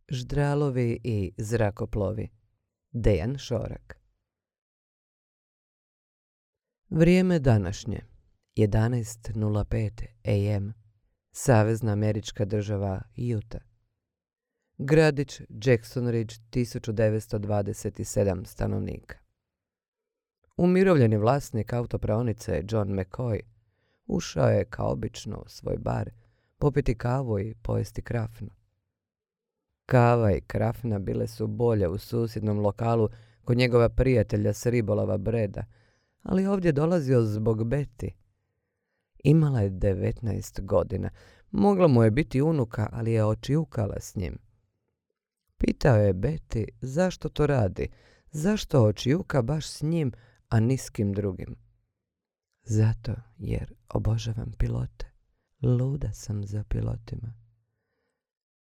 Ždralovi i zrakoplovi. Dejan Šorak. Vrijeme današnje. 11:05 am. Savezna američka država Utah. Gradić Jackson Ridge, 1927 stanovnika. Umirovljeni vlasnik autopraonice John McCoy ušao je kao obično u svoj bar popiti kavu i pojesti krafnu. Kava i krafna bile su bolje u susjednom lokalu kod njegova prijatelja s ribolova Breda, ali ovdje dolazio zbog Betty. Imala je 19 godina. Mogla mu je biti unuka, ali je očijukala s njim. Pitao je Betty zašto to radi, zašto očijuka baš s njim, a ni s kim drugim. Zato jer obožavam pilote. Luda sam za pilotima.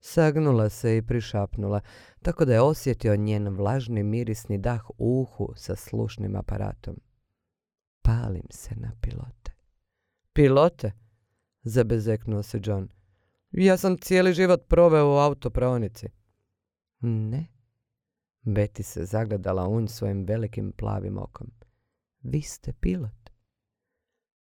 Sagnula se i prišapnula, tako da je osjetio njen vlažni mirisni dah u uhu sa slušnim aparatom. Palim se na pilote. Pilote? Zabezeknuo se John. Ja sam cijeli život proveo u autopraonici. Ne. Betty se zagledala u nj svojim velikim plavim okom. Vi ste pilot.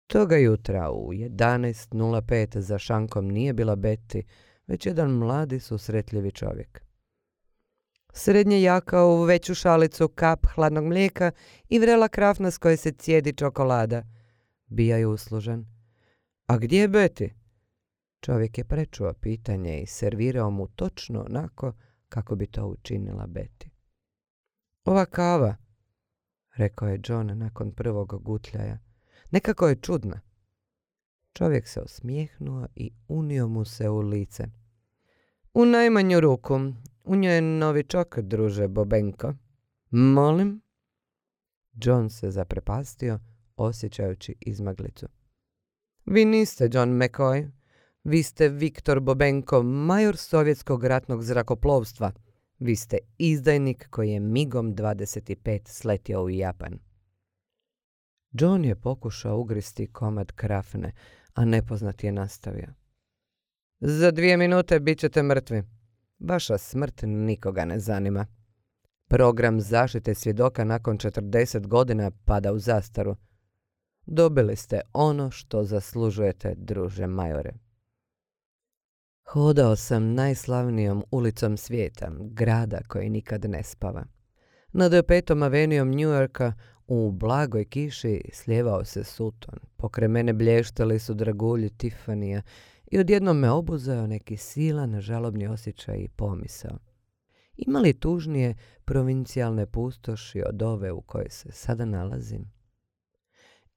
Toga jutra u 11:05 za šankom nije bila Betty, već jedan mladi susretljivi čovjek. Srednje jaka u veću šalicu kap hladnog mlijeka i vrela krafna s koje se cijedi čokolada. Bija je uslužan. A gdje je Betty? Čovjek je prečuo pitanje i servirao mu točno onako kako bi to učinila Betty. Ova kava, rekao je John nakon prvog gutljaja, nekako je čudna. Čovjek se osmijehnuo i unio mu se u lice. U najmanju ruku, u njoj je novičok, druže Bobenko. Molim? John se zaprepastio, osjećajući izmaglicu. Vi niste John McCoy. Vi ste Viktor Bobenko, major sovjetskog ratnog zrakoplovstva. Vi ste izdajnik koji je migom 25 sletio u Japan. John je pokušao ugristi komad krafne, a nepoznat je nastavio. Za 2 minute bit ćete mrtvi. Vaša smrt nikoga ne zanima. Program zaštite svjedoka nakon 40 godina pada u zastaru. Dobili ste ono što zaslužujete, druže majore. Hodao sam najslavnijom ulicom svijeta, grada koji nikad ne spava. Nad 5. avenijom New Yorka u blagoj kiši slijevao se Sutton. Pokraj mene blještali su dragulji Tiffanija i odjednom me obuzeo neki silan žalobni osjećaj i pomisao. Ima li tužnije provincijalne pustoši od ove u kojoj se sada nalazim?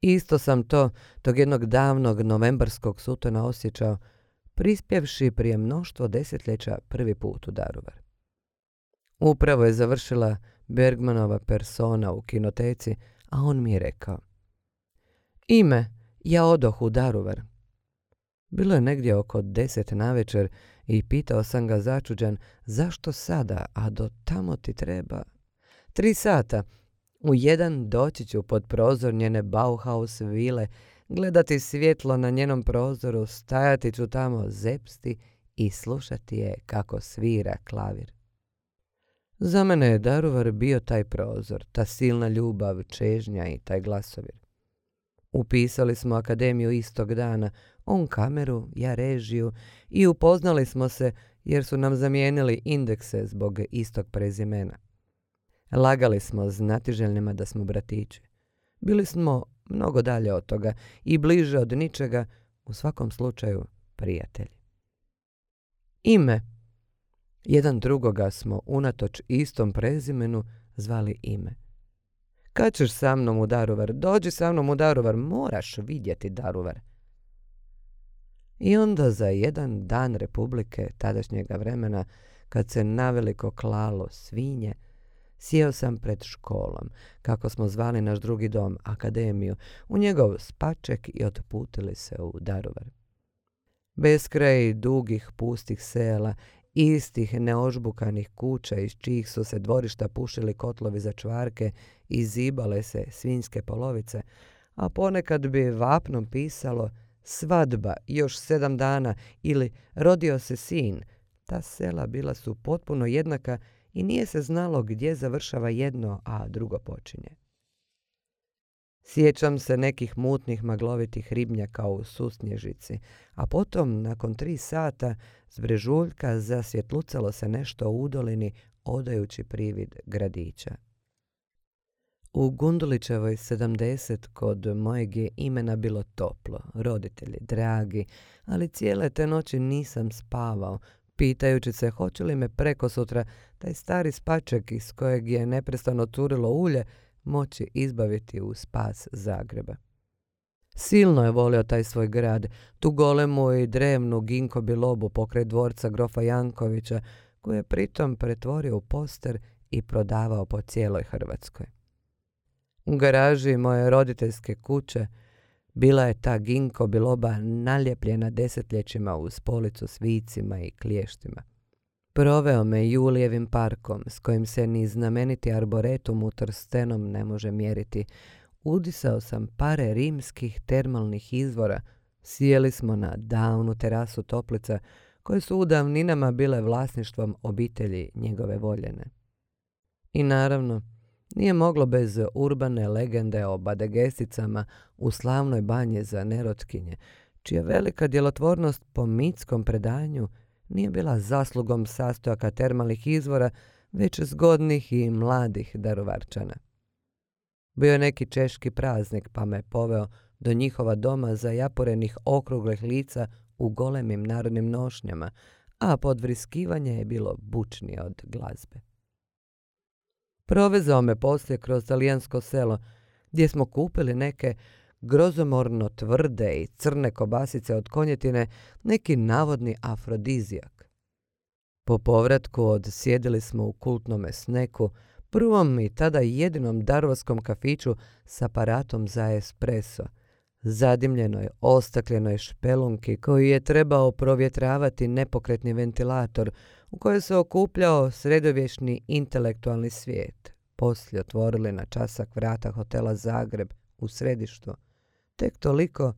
Isto sam tog jednog davnog novembarskog Suttona osjećao, prispjevši prije mnoštvo desetljeća prvi put u Daruvar. Upravo je završila Bergmanova Persona u kinoteci, a on mi je rekao: Ime, ja odoh u Daruvar. Bilo je negdje oko 10 navečer i pitao sam ga začuđen zašto sada, a do tamo ti treba 3 sata. U 1 doći ću pod prozor njene Bauhaus vile, gledati svjetlo na njenom prozoru, stajati ću tamo zepsti i slušati je kako svira klavir. Za mene je Daruvar bio taj prozor, ta silna ljubav, čežnja i taj glasovir. Upisali smo akademiju istog dana, on kameru, ja režiju, i upoznali smo se jer su nam zamijenili indekse zbog istog prezimena. Lagali smo znatiželjnima da smo bratići. Bili smo mnogo dalje od toga i bliže od ničega, u svakom slučaju prijatelji. Ime. Jedan drugoga smo unatoč istom prezimenu zvali Ime. Kad ćeš sa mnom u Daruvar? Dođi sa mnom u Daruvar, moraš vidjeti Daruvar. I onda za jedan dan Republike tadašnjega vremena, kad se naveliko klalo svinje, sjeo sam pred školom, kako smo zvali naš drugi dom, akademiju, u njegov spaček i otputili se u Daruvar. Beskraj dugih pustih sela, istih neožbukanih kuća iz čijih su se dvorišta pušili kotlovi za čvarke i zibale se svinjske polovice, a ponekad bi vapnom pisalo svadba još 7 dana ili rodio se sin, Ta sela bila su potpuno jednaka i nije se znalo gdje završava jedno, a drugo počinje. Sjećam se nekih mutnih maglovitih ribnjaka u Susnježici, a potom, nakon 3 sata, s brežuljka zasvjetlucalo se nešto u udolini, odajući privid gradića. U Gundulićevoj 70 kod mojeg je imena bilo toplo, roditelji dragi, ali cijele te noći nisam spavao, pitajući se hoće li me prekosutra taj stari spaček iz kojeg je neprestano curilo ulje moći izbaviti u spas Zagreba. Silno je volio taj svoj grad, tu golemu i drevnu ginko bilobu pokraj dvorca grofa Jankovića, koju je pritom pretvorio u poster i prodavao po cijeloj Hrvatskoj. U garaži moje roditeljske kuće bila je ta ginko biloba naljepljena desetljećima uz policu s vicima i kliještima. Proveo me Julijevim parkom, s kojim se ni znameniti arboretum u Trstenom ne može mjeriti. Udisao sam pare rimskih termalnih izvora, sjeli smo na davnu terasu toplica, koje su u davninama bile vlasništvom obitelji njegove voljene. I naravno, nije moglo bez urbane legende o badegesicama u slavnoj banji za nerotkinje, čija velika djelotvornost po mitskom predanju nije bila zaslugom sastojaka termalnih izvora, već zgodnih i mladih Daruvarčana. Bio je neki češki praznik, pa me poveo do njihova doma zajaporenih okruglih lica u golemim narodnim nošnjama, a podvriskivanje je bilo bučnije od glazbe. Provezao me poslije kroz talijansko selo, gdje smo kupili neke grozomorno tvrde i crne kobasice od konjetine, neki navodni afrodizijak. Po povratku odsjedili smo u kultnome Sneku, prvom i tada jedinom daruvarskom kafiću s aparatom za espresso, zadimljenoj ostakljenoj špelunki koju je trebao provjetravati nepokretni ventilator u kojoj se okupljao sredovječni intelektualni svijet. Poslije otvorili na časak vrata hotela Zagreb u središtu, tek toliko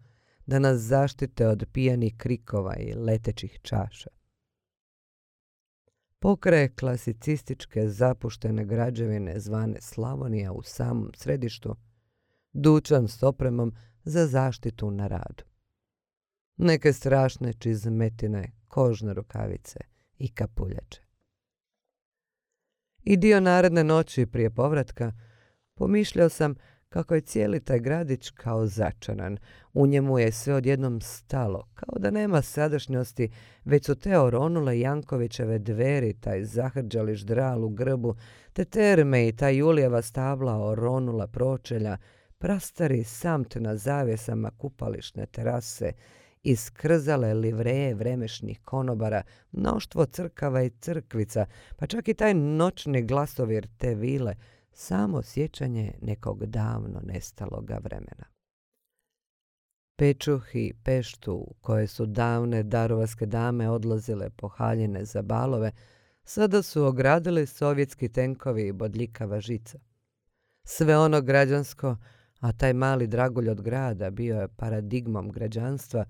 da nas zaštite od pijanih krikova i letećih čaša. Pokraj klasicističke zapuštene građevine zvane Slavonija u samom središtu, dućan s opremom za zaštitu na radu. Neke strašne čizmetine, kožne rukavice i kapuljače. I dio naredne noći prije povratka pomišljao sam kako je cijeli taj gradić kao začaran. U njemu je sve odjednom stalo, kao da nema sadašnjosti, već su te oronule Jankovićeve dveri, taj zahrđali ždral u grbu, te terme i ta Julijeva stabla oronula pročelja, prastari samt na zavjesama kupališne terase, iskrzale livreje vremešnih konobara, mnoštvo crkava i crkvica, pa čak i taj noćni glasovir te vile, samo sjećanje nekog davno nestaloga vremena. Pečuh i peštu u koje su davne daruvarske dame odlazile po haljine za balove, sada su ogradili sovjetski tenkovi i bodljikava žica. Sve ono građansko, a taj mali dragulj od grada bio je paradigmom građanstva,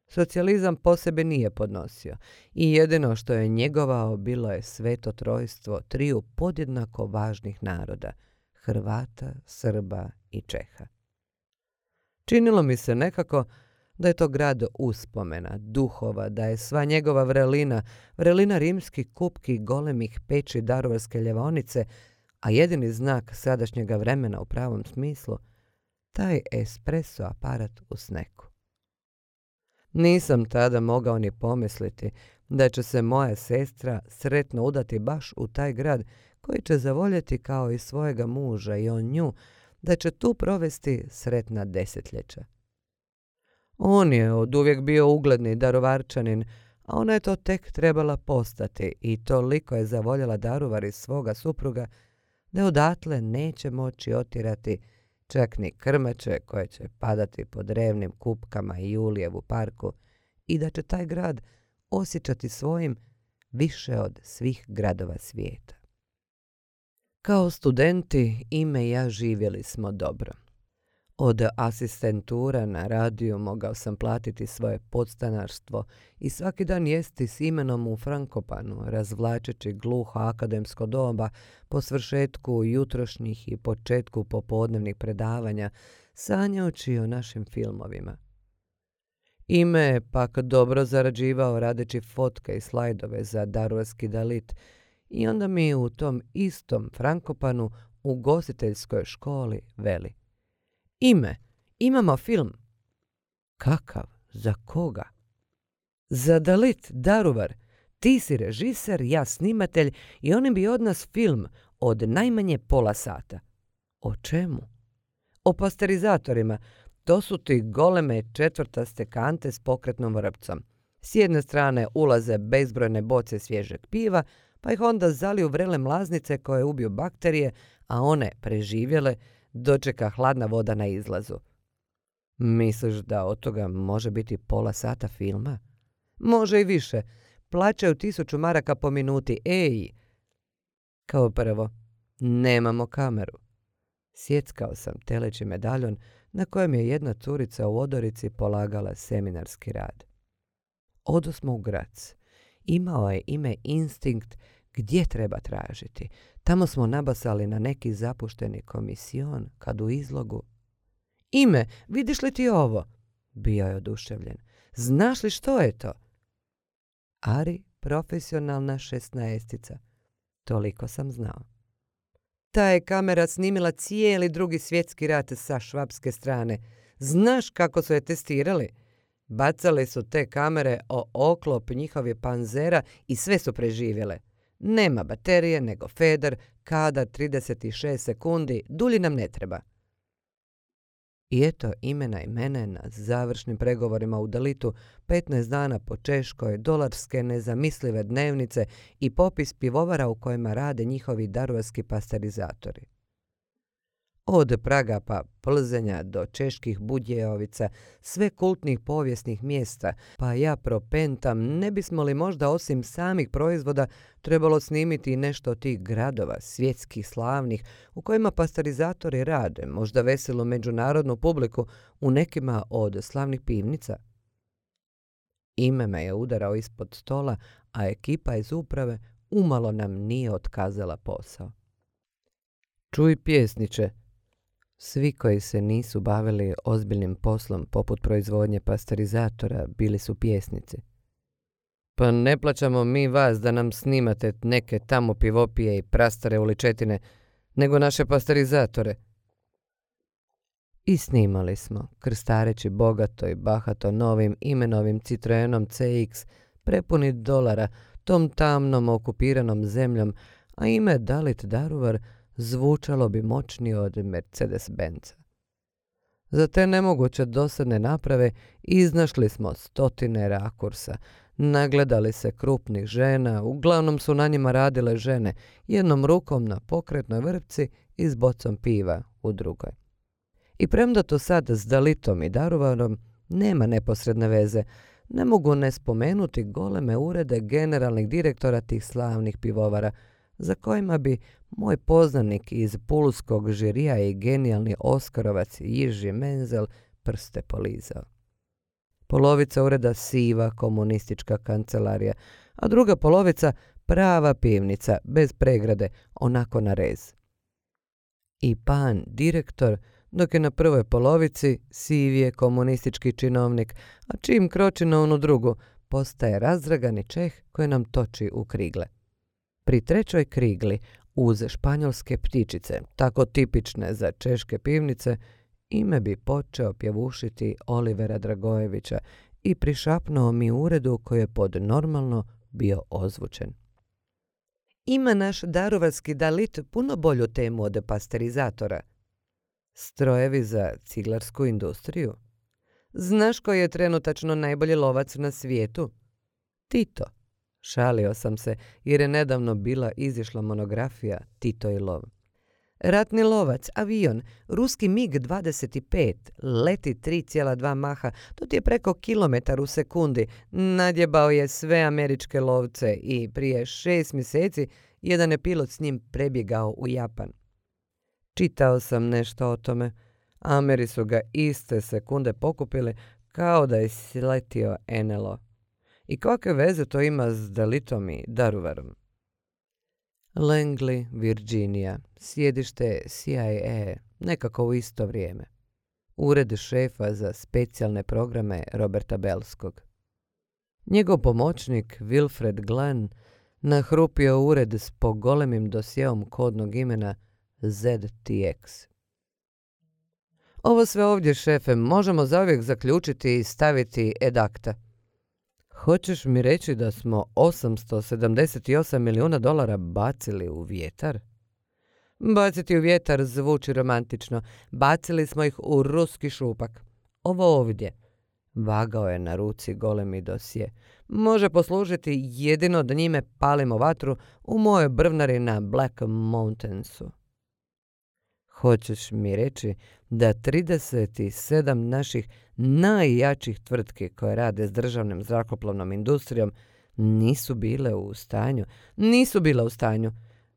socijalizam po sebi nije podnosio i jedino što je njegovao bilo je sveto trojstvo triju podjednako važnih naroda, Hrvata, Srba i Čeha. Činilo mi se nekako da je to grad uspomena, duhova, da je sva njegova vrelina rimskih kupki golemih peći daruvarske ljevaonice, a jedini znak sadašnjega vremena u pravom smislu, taj espresso aparat u Sneku. Nisam tada mogao ni pomisliti da će se moja sestra sretno udati baš u taj grad koji će zavoljeti kao i svojega muža i on nju, da će tu provesti sretna desetljeća. On je oduvijek bio ugledni Daruvarčanin, a ona je to tek trebala postati i toliko je zavoljela Daruvar iz svoga supruga da odatle neće moći otjerati čak ni krmeće koje će padati po drevnim kupkama i Julijevu parku i da će taj grad osjećati svojim više od svih gradova svijeta. Kao studenti Ime i ja živjeli smo dobro. Od asistentura na radiju mogao sam platiti svoje podstanarstvo i svaki dan jesti s imenom u Frankopanu, razvlačeći gluho akademsko doba po svršetku jutrošnjih i početku popodnevnih predavanja, sanjajući o našim filmovima. Ime je pak dobro zarađivao radeći fotke i slajdove za daruvarski Dalit i onda mi u tom istom Frankopanu u gostiteljskoj školi veli: Ime, imamo film. Kakav? Za koga? Za Dalit, Daruvar. Ti si režiser, ja snimatelj i oni bi od nas film od najmanje pola sata. O čemu? O pasterizatorima. To su ti goleme četvrtaste kante s pokretnom vrpcom. S jedne strane ulaze bezbrojne boce svježeg piva, pa ih onda zaliju vrele mlaznice koje ubiju bakterije, a one preživjele dočeka hladna voda na izlazu. Misliš da od toga može biti pola sata filma? Može i više. Plaćaju 1000 maraka po minuti. Ej! Kao prvo, nemamo kameru. Sjeckao sam teleći medaljon na kojem je jedna curica u odorici polagala seminarski rad. Odosmo u Grac. Imao je ime Instinkt gdje treba tražiti. Tamo smo nabasali na neki zapušteni komision kad u izlogu. Ime, vidiš li ti ovo? Bio je oduševljen. Znaš li što je to? Ari, profesionalna 16-tica. Toliko sam znao. Ta je kamera snimila cijeli Drugi svjetski rat sa švapske strane. Znaš kako su je testirali? Bacali su te kamere o oklop njihovih panzera i sve su preživjele. Nema baterije, nego feder, kadar 36 sekundi, dulji nam ne treba. I eto imena i mene na završnim pregovorima u Dalitu, 15 dana po Češkoj, dolarske nezamislive dnevnice i popis pivovara u kojima rade njihovi daruvarski pasterizatori. Od Praga pa Plzenja do čeških Budjejovica, sve kultnih povijesnih mjesta, pa ja propentam, ne bismo li možda osim samih proizvoda trebalo snimiti nešto od tih gradova, svjetskih slavnih, u kojima pasterizatori rade, možda veselu međunarodnu publiku u nekima od slavnih pivnica. Ime me je udarao ispod stola, a ekipa iz uprave umalo nam nije otkazala posao. Čuj pjesniče, svi koji se nisu bavili ozbiljnim poslom poput proizvodnje pasterizatora bili su pjesnici. Pa ne plaćamo mi vas da nam snimate neke tamo pivopije i prastare uličetine, nego naše pasterizatore. I snimali smo, krstareći bogato i bahato novim imenovim Citroenom CX, prepuni dolara, tom tamnom okupiranom zemljom, a ime Dalit Daruvar zvučalo bi moćnije od Mercedes-Benza. Za te nemoguće dosadne naprave iznašli smo stotine rakursa, nagledali se krupnih žena, uglavnom su na njima radile žene, jednom rukom na pokretnoj vrpci i s bocom piva u drugoj. I premda to sad s Dalitom i Daruvarom nema neposredne veze, ne mogu ne spomenuti goleme urede generalnih direktora tih slavnih pivovara, za kojima bi moj poznanik iz pulskog žirija i genijalni Oskarovac Jiži Menzel prste polizao. Polovica ureda siva komunistička kancelarija, a druga polovica prava pivnica, bez pregrade, onako na rez. I pan direktor, dok je na prvoj polovici siv je komunistički činovnik, a čim kroči na onu drugu, postaje razdragani Čeh koji nam toči u krigle. Pri trećoj krigli, uz španjolske ptičice, tako tipične za češke pivnice, ime bi počeo pjevušiti Olivera Dragojevića i prišapnuo mi uredu koji je pod normalno bio ozvučen. Ima naš daruvarski Dalit puno bolju temu od pasterizatora. Strojevi za ciglarsku industriju. Znaš koji je trenutačno najbolji lovac na svijetu? Tito. Šalio sam se jer je nedavno bila izišla monografija Tito i lov. Ratni lovac, avion, ruski MiG-25, leti 3,2 maha, to ti je preko kilometar u sekundi, nadjebao je sve američke lovce i prije 6 mjeseci jedan je pilot s njim prebjegao u Japan. Čitao sam nešto o tome, Ameri su ga iste sekunde pokupili kao da je sletio NLO. I kakve veze to ima s Dalitom i Daruvarom? Langley, Virginia, sjedište CIA, nekako u isto vrijeme. Ured šefa za specijalne programe Roberta Belskog. Njegov pomoćnik Wilfred Glenn nahrupio ured s pogolemim dosjeom kodnog imena ZTX. Ovo sve ovdje, šefe, možemo zauvijek zaključiti i staviti ad acta. Hoćeš mi reći da smo $878 milijuna bacili u vjetar? Baciti u vjetar zvuči romantično. Bacili smo ih u ruski šupak. Ovo ovdje, vagao je na ruci golemi dosje, može poslužiti jedino da njime palimo vatru u mojoj brvnari na Black Mountainsu. Hoćeš mi reći da 37 naših najjačih tvrtki koje rade s državnom zrakoplovnom industrijom nisu bile u stanju? Nisu bile u stanju.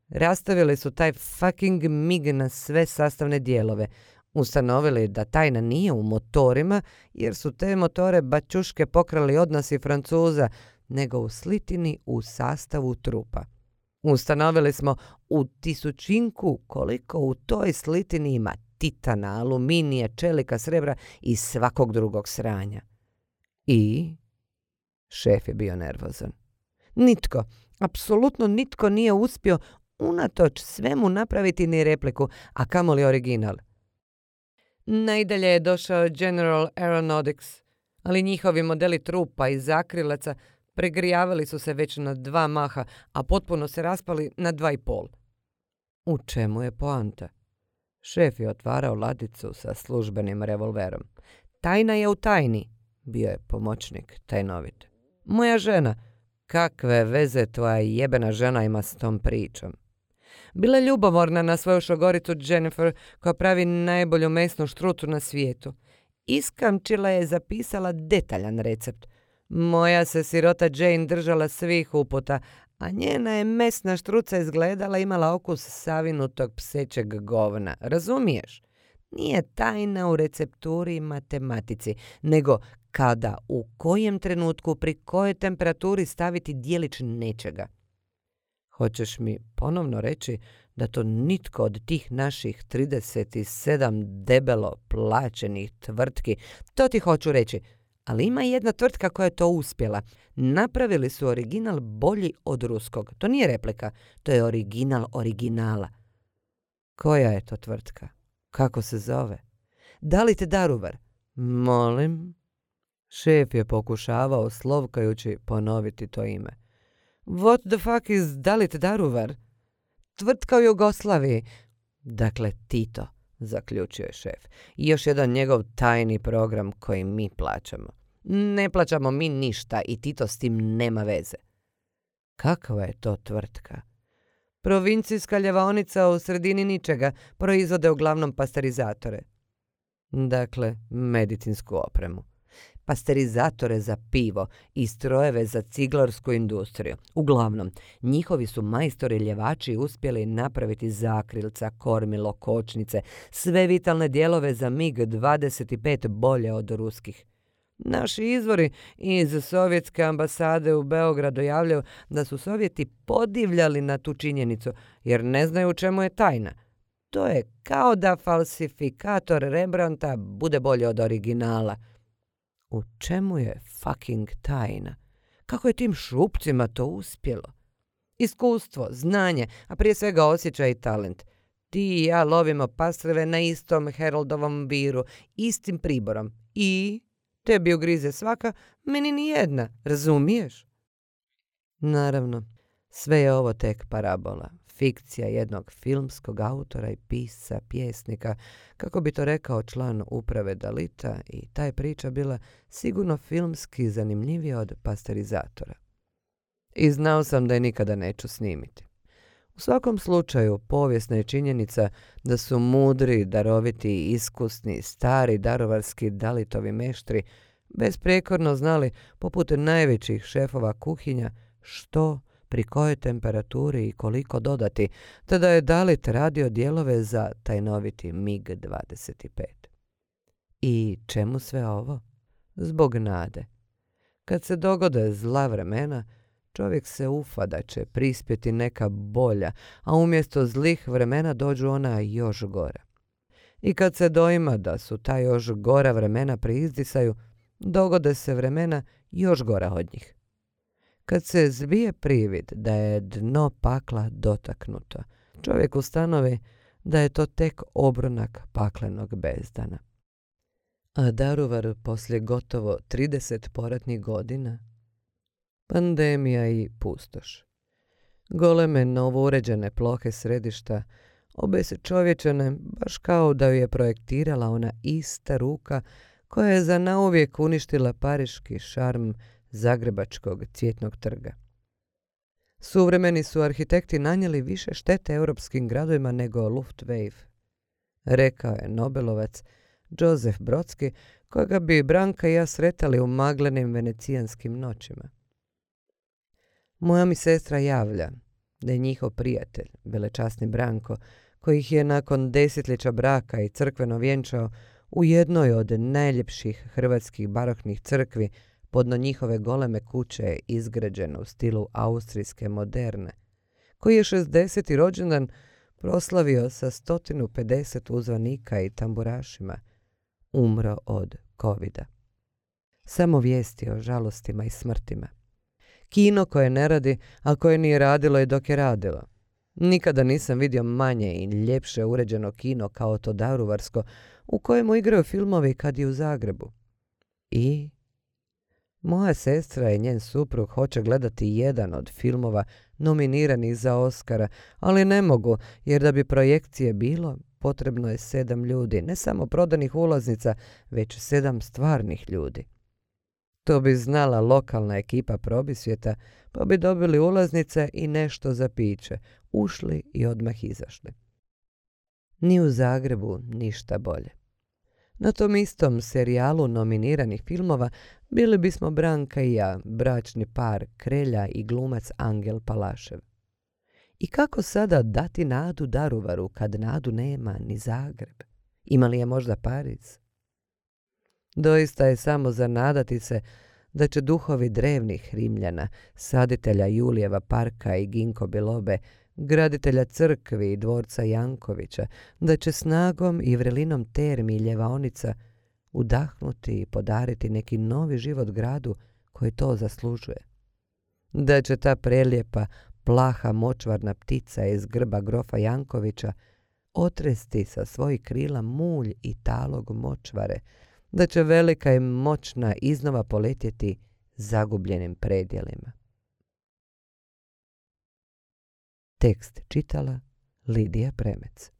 Rastavili su taj fucking MiG na sve sastavne dijelove. Ustanovili da tajna nije u motorima, jer su te motore bačuške pokrali od nas i Francuza, nego u slitini u sastavu trupa. Ustanovili smo u tisućinku koliko u toj slitini ima titana, aluminija, čelika, srebra i svakog drugog sranja. I šef je bio nervozan. Nitko, apsolutno nitko nije uspio unatoč svemu napraviti ni repliku, a kamoli original. Najdalje je došao General Aeronautics, ali njihovi modeli trupa i zakrilaca pregrijavali su se već na 2 maha, a potpuno se raspali na 2,5. U čemu je poanta? Šef je otvarao ladicu sa službenim revolverom. Tajna je u tajni, bio je pomoćnik tajnovit. Moja žena, kakve veze tvoja jebena žena ima s tom pričom? Bila je ljubomorna na svoju šogoricu Jennifer, koja pravi najbolju mesnu štrucu na svijetu. Iskamčila je zapisala detaljan recept. Moja se sirota Jane držala svih uputa, a njena je mesna štruca izgledala, imala okus savinutog psećeg govna. Razumiješ? Nije tajna u recepturi i matematici, nego kada, u kojem trenutku, pri kojoj temperaturi staviti dijelić nečega. Hoćeš mi ponovno reći da to nitko od tih naših 37 debelo plaćenih tvrtki, to ti hoću reći, ali ima jedna tvrtka koja je to uspjela. Napravili su original bolji od ruskog. To nije replika, to je original originala. Koja je to tvrtka? Kako se zove? Dalit Daruvar? Molim? Šef je pokušavao slovkajući ponoviti to ime. What the fuck is Dalit Daruvar? Tvrtka u Jugoslaviji. Dakle, Tito, zaključio je šef. I još jedan njegov tajni program koji mi plaćamo. Ne plaćamo mi ništa i Tito s tim nema veze. Kakva je to tvrtka? Provincijska ljevaonica u sredini ničega, proizvode uglavnom pasterizatore. Dakle, medicinsku opremu. Pasterizatore za pivo i strojeve za ciglarsku industriju. Uglavnom, njihovi su majstori ljevači uspjeli napraviti zakrilca, kormilo, kočnice, sve vitalne dijelove za MiG-25 bolje od ruskih. Naši izvori iz sovjetske ambasade u Beogradu javljaju da su Sovjeti podivljali na tu činjenicu, jer ne znaju u čemu je tajna. To je kao da falsifikator Rembrandta bude bolje od originala. U čemu je fucking tajna? Kako je tim šupcima to uspjelo? Iskustvo, znanje, a prije svega osjećaj i talent. Ti i ja lovimo pastrve na istom Heroldovom viru, istim priborom. I tebi ugrize svaka, meni ni jedna, razumiješ? Naravno, sve je ovo tek parabola. Fikcija jednog filmskog autora i pisca, pjesnika, kako bi to rekao član uprave Dalita, i ta je priča bila sigurno filmski zanimljivija od pasterizatora. I znao sam da je nikada neću snimiti. U svakom slučaju, povijesna je činjenica da su mudri, daroviti i iskusni, stari daruvarski Dalitovi meštri besprijekorno znali, poput najvećih šefova kuhinja, što, pri kojoj temperaturi i koliko dodati, te da je Dalit radio dijelove za tajnoviti MiG-25. I čemu sve ovo? Zbog nade. Kad se dogode zla vremena, čovjek se ufa da će prispjeti neka bolja, a umjesto zlih vremena dođu ona još gora. I kad se doima da su ta još gora vremena pri izdisaju, dogode se vremena još gora od njih. Kad se zbije privid da je dno pakla dotaknuto, čovjek ustanovi da je to tek obronak paklenog bezdana. A Daruvar poslije gotovo 30 poratnih godina? Pandemija i pustoš. Goleme novouređene plohe središta obesčovječene baš kao da ju je projektirala ona ista ruka koja je za nauvijek uništila pariški šarm zagrebačkog Cvjetnog trga. Suvremeni su arhitekti nanijeli više štete europskim gradovima nego Luftwaffe, rekao je Nobelovac Josef Brodski, kojega bi Branka i ja sretali u maglenim venecijanskim noćima. Moja mi sestra javlja da je njihov prijatelj, velečasni Branko, koji ih je nakon desetljeća braka i crkveno vjenčao u jednoj od najljepših hrvatskih baroknih crkvi podno njihove goleme kuće izgrađene u stilu austrijske moderne, koji je 60. rođendan proslavio sa 150 uzvanika i tamburašima, umro od covida. Samo vijesti o žalostima i smrtima. Kino koje ne radi, a koje nije radilo i dok je radilo. Nikada nisam vidio manje i ljepše uređeno kino kao to daruvarsko, u kojemu igraju filmovi kad je u Zagrebu. I moja sestra i njen suprug hoće gledati jedan od filmova nominiranih za Oscara, ali ne mogu, jer da bi projekcije bilo, potrebno je 7 ljudi, ne samo prodanih ulaznica, već 7 stvarnih ljudi. To bi znala lokalna ekipa Probisvijeta, pa bi dobili ulaznice i nešto za piće, ušli i odmah izašli. Ni u Zagrebu ništa bolje. Na tom istom serijalu nominiranih filmova bili bismo Branka i ja, bračni par Krelja i glumac Angel Palašev. I kako sada dati nadu Daruvaru kad nadu nema ni Zagreb? Ima li je možda Pariz? Doista je samo za nadati se da će duhovi drevnih Rimljana, saditelja Julijeva parka i Ginko Bilobe, graditelja crkvi i dvorca Jankovića, da će snagom i vrelinom termi i ljevaonica udahnuti i podariti neki novi život gradu koji to zaslužuje. Da će ta prelijepa, plaha močvarna ptica iz grba grofa Jankovića otresti sa svojih krila mulj i talog močvare, da će velika i moćna iznova poletjeti zagubljenim predjelima. Tekst čitala Lidija Premec.